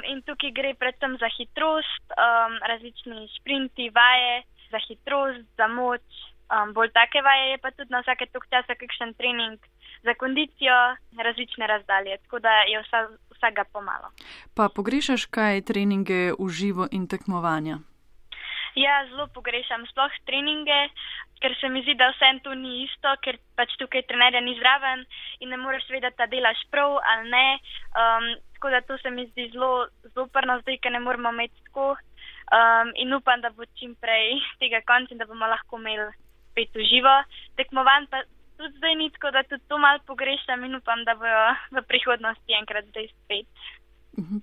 in tukaj gre predvsem za hitrost, različni šprinti, vaje za hitrost, za moč, bolj take vaje, je pa tudi na vsake toliko časa kakšen trening za kondicijo, različne razdalje, tako da je vsega pomalo. Pa pogrešaš kaj treninge v živo in tekmovanja? Ja, zelo pogrešam sploh treninge, ker se mi zdi, da vsem to ni isto, ker pač tukaj trenerja ni zraven in ne moreš vedeti, da delaš prav ali ne. Tako da to se mi zdi zelo zoprno zdaj, ker ne moramo imeti tako. In upam, da bo čim prej tega konc in da bomo lahko imeli spet v živo. Tekmovanj pa tudi zdaj ni, tako da tudi to malo pogrešam in upam, da bojo v prihodnosti enkrat zdaj spet.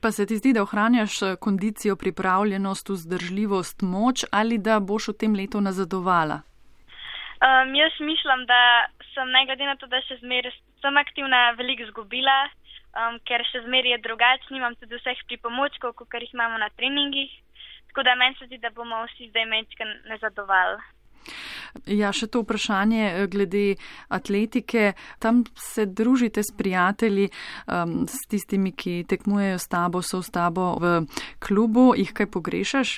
Pa se ti zdi, da ohranjaš kondicijo, pripravljenost, vzdržljivost, moč ali da boš v tem letu nazadovala? Jaz mislim, da sem ne glede na to, da še zmeraj sem aktivna, veliko izgubila, ker še zmeraj je drugače, nimam tudi vseh pripomočkov, kot jih imamo na treningih, tako da meni se zdi, da bomo vsi zdaj mečkaj nazadovali. Ja, še to vprašanje glede atletike. Tam se družite s prijatelji, s tistimi, ki tekmujejo s tabo, so s tabo v klubu. Jih kaj pogrešaš?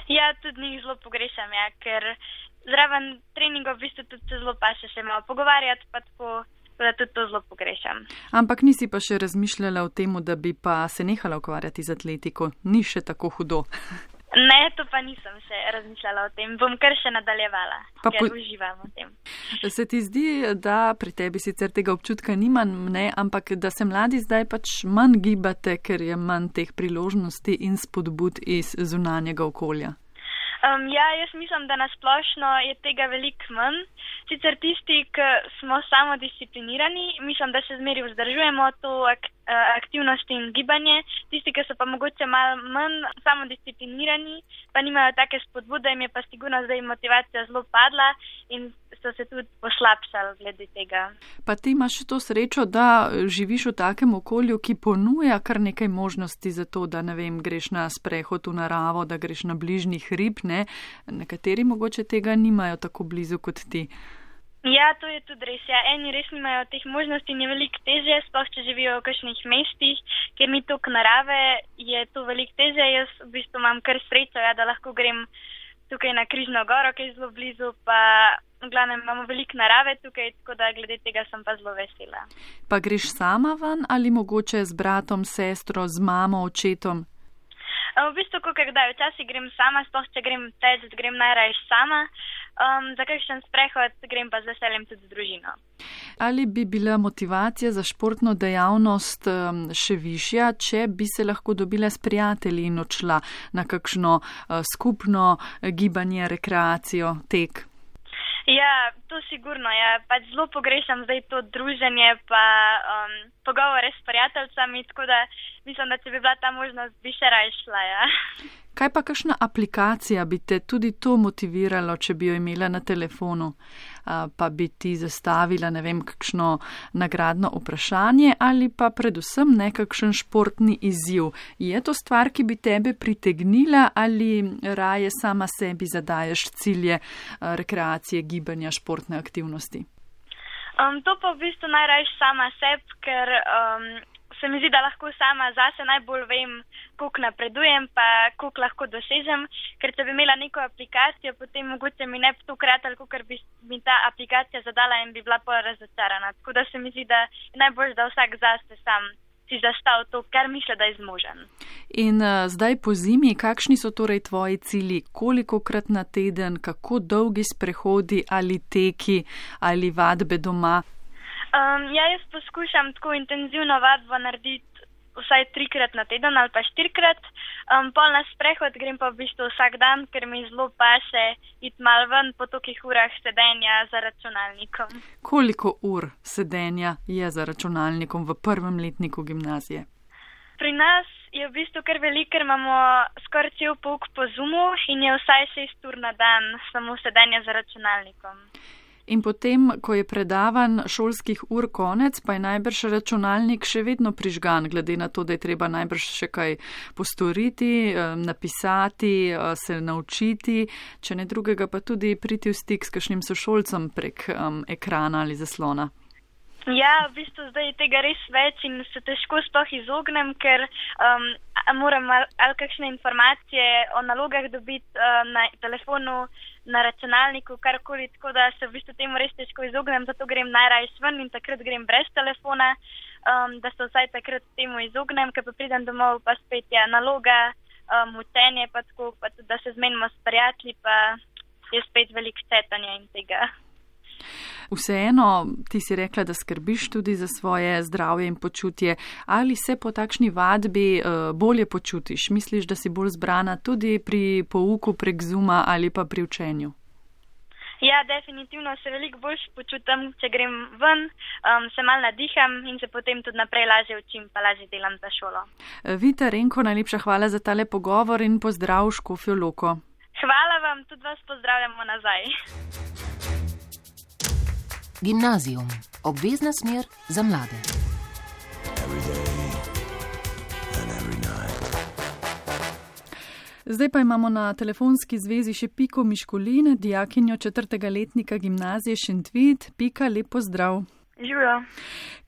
Ja, tudi njih zelo pogrešam, ja, ker zraven treningov v bistvu tudi zelo paše še malo pogovarjati, pa tako, da tudi to zelo pogrešam. Ampak nisi pa še razmišljala o tem, da bi pa se nehala ukvarjati z atletiko? Ni še tako hudo? Ne, to pa nisem še razmišljala o tem. Bom kar še nadaljevala, ker uživam v tem. Se ti zdi, da pri tebi sicer tega občutka nimam, ne, ampak da se mladi zdaj pač manj gibate, ker je manj teh priložnosti in spodbud iz zunanjega okolja? Ja, jaz mislim, da nasplošno je tega veliko manj. Sicer tisti, ki smo samodisciplinirani, mislim, da še zmeraj vzdržujemo to aktivnost in gibanje. Tisti, ki so pa mogoče malo manj samodisciplinirani, pa nimajo take spodbude, jim je pa sigurno zdaj motivacija zelo padla in so se tudi poslabšali glede tega. Pa ti imaš to srečo, da živiš v takem okolju, ki ponuja kar nekaj možnosti za to, da ne vem, greš na sprehod v naravo, da greš na bližnji hrib, ne? Nekateri mogoče tega nimajo tako blizu kot ti. Ja, to je tudi res. Ja. Eni res nimajo teh možnosti in je veliko težje, sploh če živijo v kakšnih mestih, ker ni toliko narave, je to veliko težje. Jaz v bistvu imam kar srečo, ja, da lahko grem tukaj na Križno goro, ki je zelo blizu, pa v glavnem imamo veliko narave tukaj, tako da glede tega sem pa zelo vesela. Pa greš sama ven ali mogoče z bratom, sestro, z mamo, očetom? V bistvu, kdaj včasih grem sama, sploh če grem teč, grem najraje sama. Za kakšen sprehod grem pa z veseljem tudi z družino. Ali bi bila motivacija za športno dejavnost še višja, če bi se lahko dobila s prijatelji in odšla na kakšno skupno gibanje, rekreacijo, tek? Ja, to sigurno. Ja. Pač zelo pogrešam zdaj to druženje pa pogovore s prijateljicami, tako da mislim, da če bi bila ta možnost, bi še raje šla. Ja. Kaj pa kakšna aplikacija bi te tudi to motiviralo, če bi jo imela na telefonu, pa bi ti zastavila, ne vem, kakšno nagradno vprašanje ali pa predvsem nekakšen športni izziv. Je to stvar, ki bi tebe pritegnila ali raje sama sebi zadaješ cilje rekreacije, gibanja, športne aktivnosti? To pa v bistvu najraje sama sebi, ker se mi zdi, da lahko sama zase najbolj vem, koliko napredujem, pa koliko lahko dosežem, ker če bi imela neko aplikacijo, potem mogoče mi ne bi to kratalo, ker bi mi ta aplikacija zadala in bi bila pol razočarana. Tako da se mi zdi, da je najbolj, da vsak zase sam si zastav to, kar misli, da je zmožen. In zdaj po zimi, kakšni so torej tvoji cilji? Kolikokrat na teden, kako dolgi sprehodi ali teki ali vadbe doma? Ja, jaz poskušam tako intenzivno vadbo narediti vsaj 3-krat na teden ali pa 4-krat. Pol na sprehod grem pa v bistvu vsak dan, ker mi zelo paše iti malo ven po tolikih urah sedenja za računalnikom. Koliko ur sedenja je za računalnikom v prvem letniku gimnazije? Pri nas je v bistvu kar veliko, ker imamo skoraj cel pouk po Zoomu in je vsaj 6 ur na dan samo sedenja za računalnikom. In potem, ko je predavan šolskih ur konec, pa je najbrž računalnik še vedno prižgan, glede na to, da je treba najbrž še kaj postoriti, napisati, se naučiti, če ne drugega pa tudi priti v stik s kakšnim sošolcem prek ekrana ali zaslona. Ja, v bistvu zdaj tega res več in se težko sploh izognem, ker moram ali kakšne informacije o nalogah dobiti na telefonu, na računalniku, karkoli, tako da se v bistvu temu res težko izognem, zato grem najraje ven in takrat grem brez telefona, da se vsaj takrat temu izognem, ker pa pridem domov, pa spet je naloga, učenje, pa tako, pa tudi, da se zmenimo s prijatelji, pa je spet veliko cetanja in tega. Vseeno, ti si rekla, da skrbiš tudi za svoje zdravje in počutje. Ali se po takšni vadbi bolje počutiš? Misliš, da si bolj zbrana tudi pri pouku prek Zooma ali pa pri učenju? Ja, definitivno se veliko bolj počutim, če grem ven, se malo nadiham in se potem tudi naprej lažje učim, pa lažje delam za šolo. Vita Renko, najlepša hvala za tale pogovor in pozdrav v Škofjo Loko. Hvala vam, tudi vas pozdravljamo nazaj. Gimnazijum. Obvezna smer za mlade. Zdaj pa imamo na telefonski zvezi še Piko Miškolin, dijakinjo 4. letnika gimnazije Šentvid. Pika, lep pozdrav. Živijo.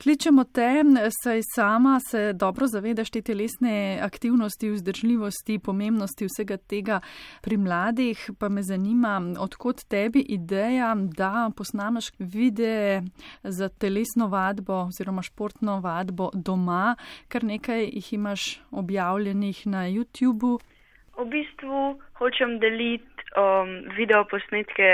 Kličemo te, saj sama se dobro zavedaš te telesne aktivnosti, vzdržljivosti, pomembnosti vsega tega pri mladih, pa me zanima, odkot tebi ideja, da posnameš videe za telesno vadbo oziroma športno vadbo doma, kar nekaj jih imaš objavljenih na YouTubu. V bistvu hočem deliti videoposnetke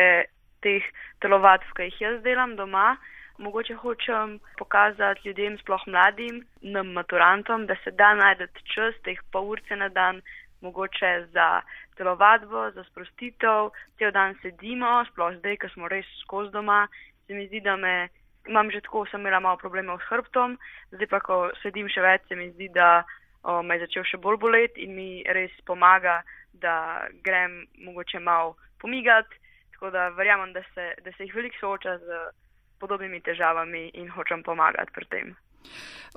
teh telovadb, ki jih jaz delam doma. Mogoče hočem pokazati ljudem, sploh mladim, nam maturantom, da se da najdeti čas, teh pol urce na dan, mogoče za telovadbo, za sprostitev, cel dan sedimo, sploh zdaj, ko smo res skozi doma. Se mi zdi, da imam že tako, sem imela malo problemov s hrbtom, zdaj pa, ko sedim še več, se mi zdi, da me je začel še bolj boleti in mi res pomaga, da grem mogoče malo pomigati, tako da verjamem, da se jih veliko sooča z podobnimi težavami in hočem pomagati pri tem.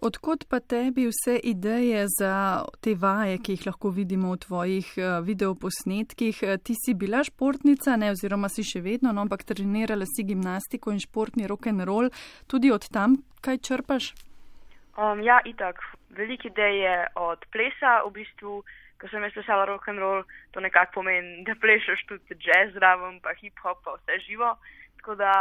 Odkot pa tebi vse ideje za te vaje, ki jih lahko vidimo v tvojih videoposnetkih? Ti si bila športnica, ne, oziroma si še vedno, no, ampak trenirala si gimnastiko in športni rock'n'roll. Tudi od tam kaj črpaš? Ja, itak. Veliko idej je od plesa. V bistvu, ko sem jaz plesala rock'n'roll, to nekako pomeni, da plešeš tudi jazz zraven, pa hip-hop, pa vse živo. Tako da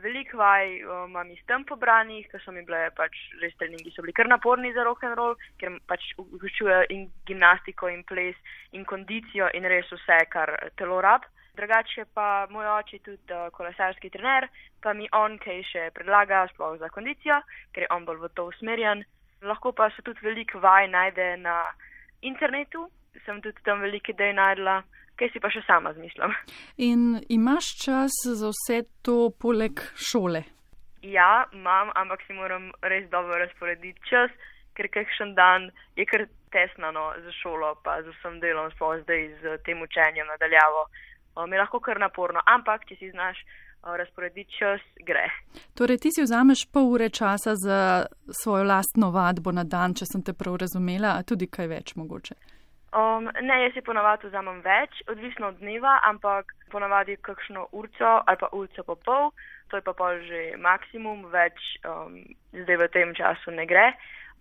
veliko vaj imam iz tam pobranih, ker so mi bile pač res treningi, so bili kar naporni za rock'n'roll, ker pač vključuje in gimnastiko in ples in kondicijo in res vse, kar telo rab. Drugače pa moj oče tudi kolesarski trener, pa mi on kaj še predlaga sploh za kondicijo, ker je on bolj v to usmerjen. Lahko pa se tudi veliko vaj najde na internetu, sem tudi tam veliko idej najdla, kaj si pa še sama zmišljam. In imaš čas za vse to poleg šole? Ja, imam, ampak si moram res dobro razporediti čas, ker kakšen dan je kar tesno za šolo, pa z vsem delom, sploh zdaj z tem učenjem nadaljavo. Mi je lahko kar naporno, ampak če si znaš razporediti čas, gre. Torej, ti si vzameš pol ure časa za svojo lastno vadbo na dan, če sem te prav razumela, a tudi kaj več mogoče? Ne, jaz si ponavadi vzamem več, odvisno od dneva, ampak ponavadi kakšno urco ali pa urco pa pol, to je pa pol že maksimum, več zdaj v tem času ne gre.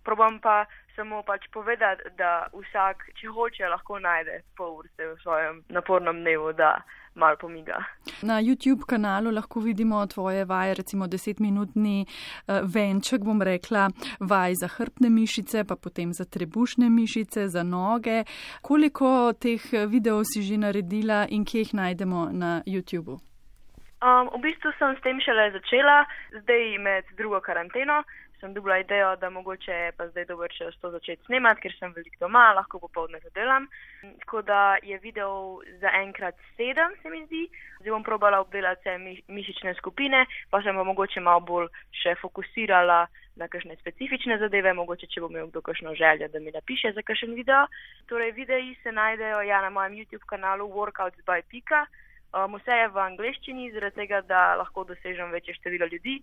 Probam pa samo pač povedati, da vsak, če hoče, lahko najde pol urce v svojem napornem dnevu, da malo pomiga. Na YouTube kanalu lahko vidimo tvoje vaje, recimo 10-minutni venček, bom rekla, vaj za hrbtne mišice, pa potem za trebušne mišice, za noge. Koliko teh videov si že naredila in kje jih najdemo na YouTubu? V bistvu sem s tem šele začela, zdaj med drugo karanteno. Sem dobila idejo, da mogoče je pa zdaj dober čas to začeti snemati, ker sem veliko doma, lahko popoldne to delam. Tako da je video za enkrat 7, se mi zdi. Zdaj bom probala obdelati vse mišične skupine, pa sem pa mogoče malo bolj še fokusirala na kakšne specifične zadeve, mogoče če bo imel kdo kakšno željo, da mi napiše za kakšen video. Torej, videi se najdejo na mojem YouTube kanalu Workouts by Pika. Vse je v angleščini, zaradi tega, da lahko dosežem večje število ljudi.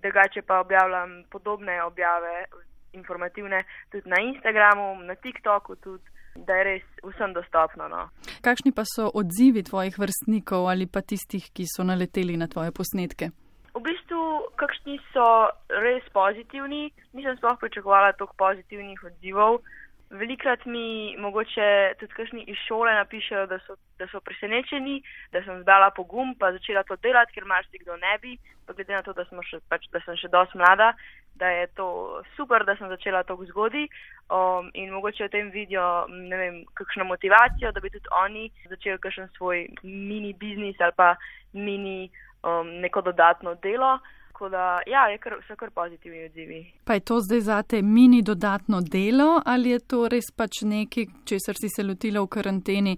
Drugače pa objavljam podobne objave informativne tudi na Instagramu, na TikToku tudi, da je res vsem dostopno. No. Kakšni pa so odzivi tvojih vrstnikov ali pa tistih, ki so naleteli na tvoje posnetke? V bistvu, kakšni so res pozitivni. Nisem sploh pričakovala toliko pozitivnih odzivov. Velikrat mi mogoče tudi kakšni iz šole napišejo, da so presenečeni, da sem zbrala pogum pa začela to delati, ker marsikdo ne bi, pa glede na to, da sem še dosti mlada, da je to super, da sem začela tako zgodaj in mogoče v tem vidijo, ne vem, kakšno motivacijo, da bi tudi oni začeli kakšen svoj mini biznis ali pa mini neko dodatno delo. Tako da, ja, so kar pozitivni odzivi. Pa je to zdaj zate mini dodatno delo ali je to res pač nekaj, česar si se lotila v karanteni?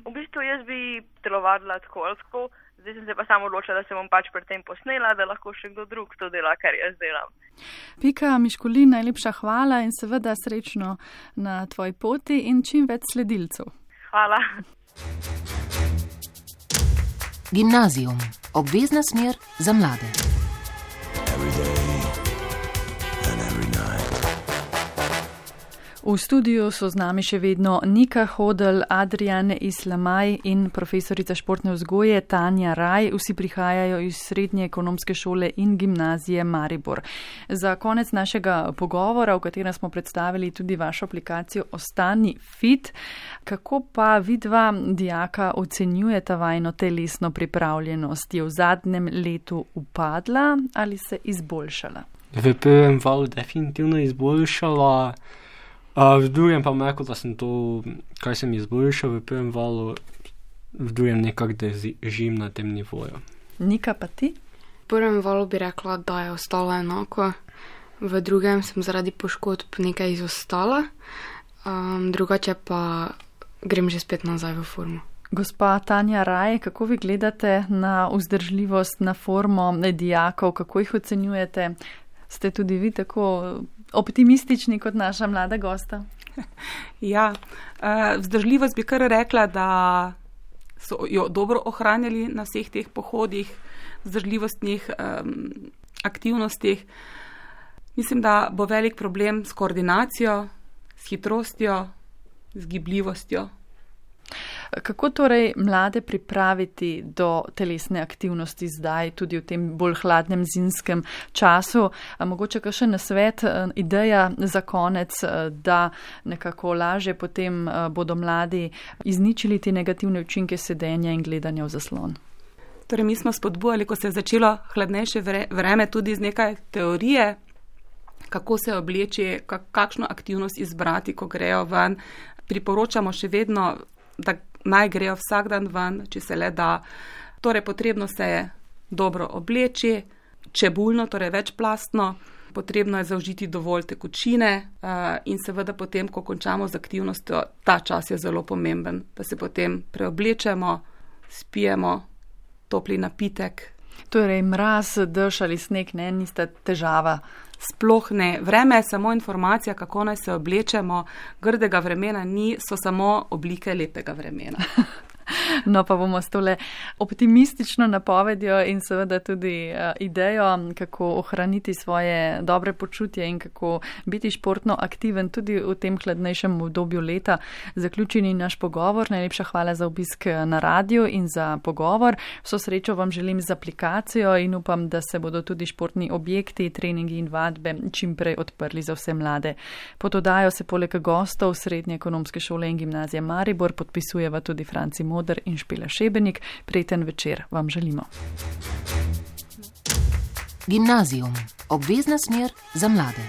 V bistvu jaz bi telovadila tako. Zdaj sem se pa samo odločila, da se bom pač pred tem posnela, da lahko še kdo drug to dela, kar jaz delam. Pika Miškulin, najlepša hvala in seveda srečno na tvoji poti in čim več sledilcev. Hvala. Gimnazijum. Obvezna smer za mlade. V studiu so z nami še vedno Nika Hodel, Adrian Islamaj in profesorica športne vzgoje Tanja Raj. Vsi prihajajo iz Srednje ekonomske šole in gimnazije Maribor. Za konec našega pogovora, v katerem smo predstavili tudi vašo aplikacijo Ostani fit, kako pa vidva dijaka ocenjujeta vajno telesno pripravljenost? Je v zadnjem letu upadla ali se izboljšala? V prvem valu definitivno izboljšala. V drugem pa rekel, da sem to, kar sem izboljšal v prvem valu, v drugem nekako držim na tem nivoju. Nika, pa ti? V prvem valu bi rekla, da je ostalo enako. V drugem sem zaradi poškodb nekaj izostala. Drugače pa grem že spet nazaj v formo. Gospa Tanja Raj, kako vi gledate na vzdržljivost, na formo dijakov, kako jih ocenjujete? Ste tudi vi tako optimistični kot naša mlada gosta? Ja, vzdržljivost bi kar rekla, da so jo dobro ohranjali na vseh teh pohodih, vzdržljivostnih aktivnostih. Mislim, da bo velik problem s koordinacijo, s hitrostjo, z gibljivostjo. Kako torej mlade pripraviti do telesne aktivnosti zdaj, tudi v tem bolj hladnem zimskem času? Mogoče kakšen nasvet, ideja za konec, da nekako lažje potem bodo mladi izničili te negativne učinke sedenja in gledanja v zaslon? Torej, mi smo spodbujali, ko se je začelo hladnejše vreme, tudi z nekaj teorije, kako se obleči, kakšno aktivnost izbrati, ko grejo ven. Priporočamo še vedno, da naj grejo vsak dan ven, če se le da. Torej, potrebno se je dobro obleči, čebulno, torej večplastno, potrebno je zaužiti dovolj tekočine in seveda potem, ko končamo z aktivnostjo, ta čas je zelo pomemben, da se potem preoblečemo, spijemo topli napitek. Torej, mraz, dež ali sneg, ne, nista težava. Sploh ne. Vreme je samo informacija, kako naj se oblečemo. Grdega vremena ni, so samo oblike lepega vremena. No, pa bomo s tole optimistično napovedjo in seveda tudi idejo, kako ohraniti svoje dobre počutje in kako biti športno aktiven tudi v tem hladnejšem obdobju leta. Zaključeni naš pogovor. Najlepša hvala za obisk na radiju in za pogovor. Vso srečo vam želim z aplikacijo in upam, da se bodo tudi športni objekti, treningi in vadbe čim prej odprli za vse mlade. Pod oddajo se poleg gostov Srednje ekonomske šole in gimnazije Maribor podpisujeva tudi Franci Moder in Špela Šebenik. Prijeten večer vam želimo. Gimnazijum. Obvezna smer za mlade.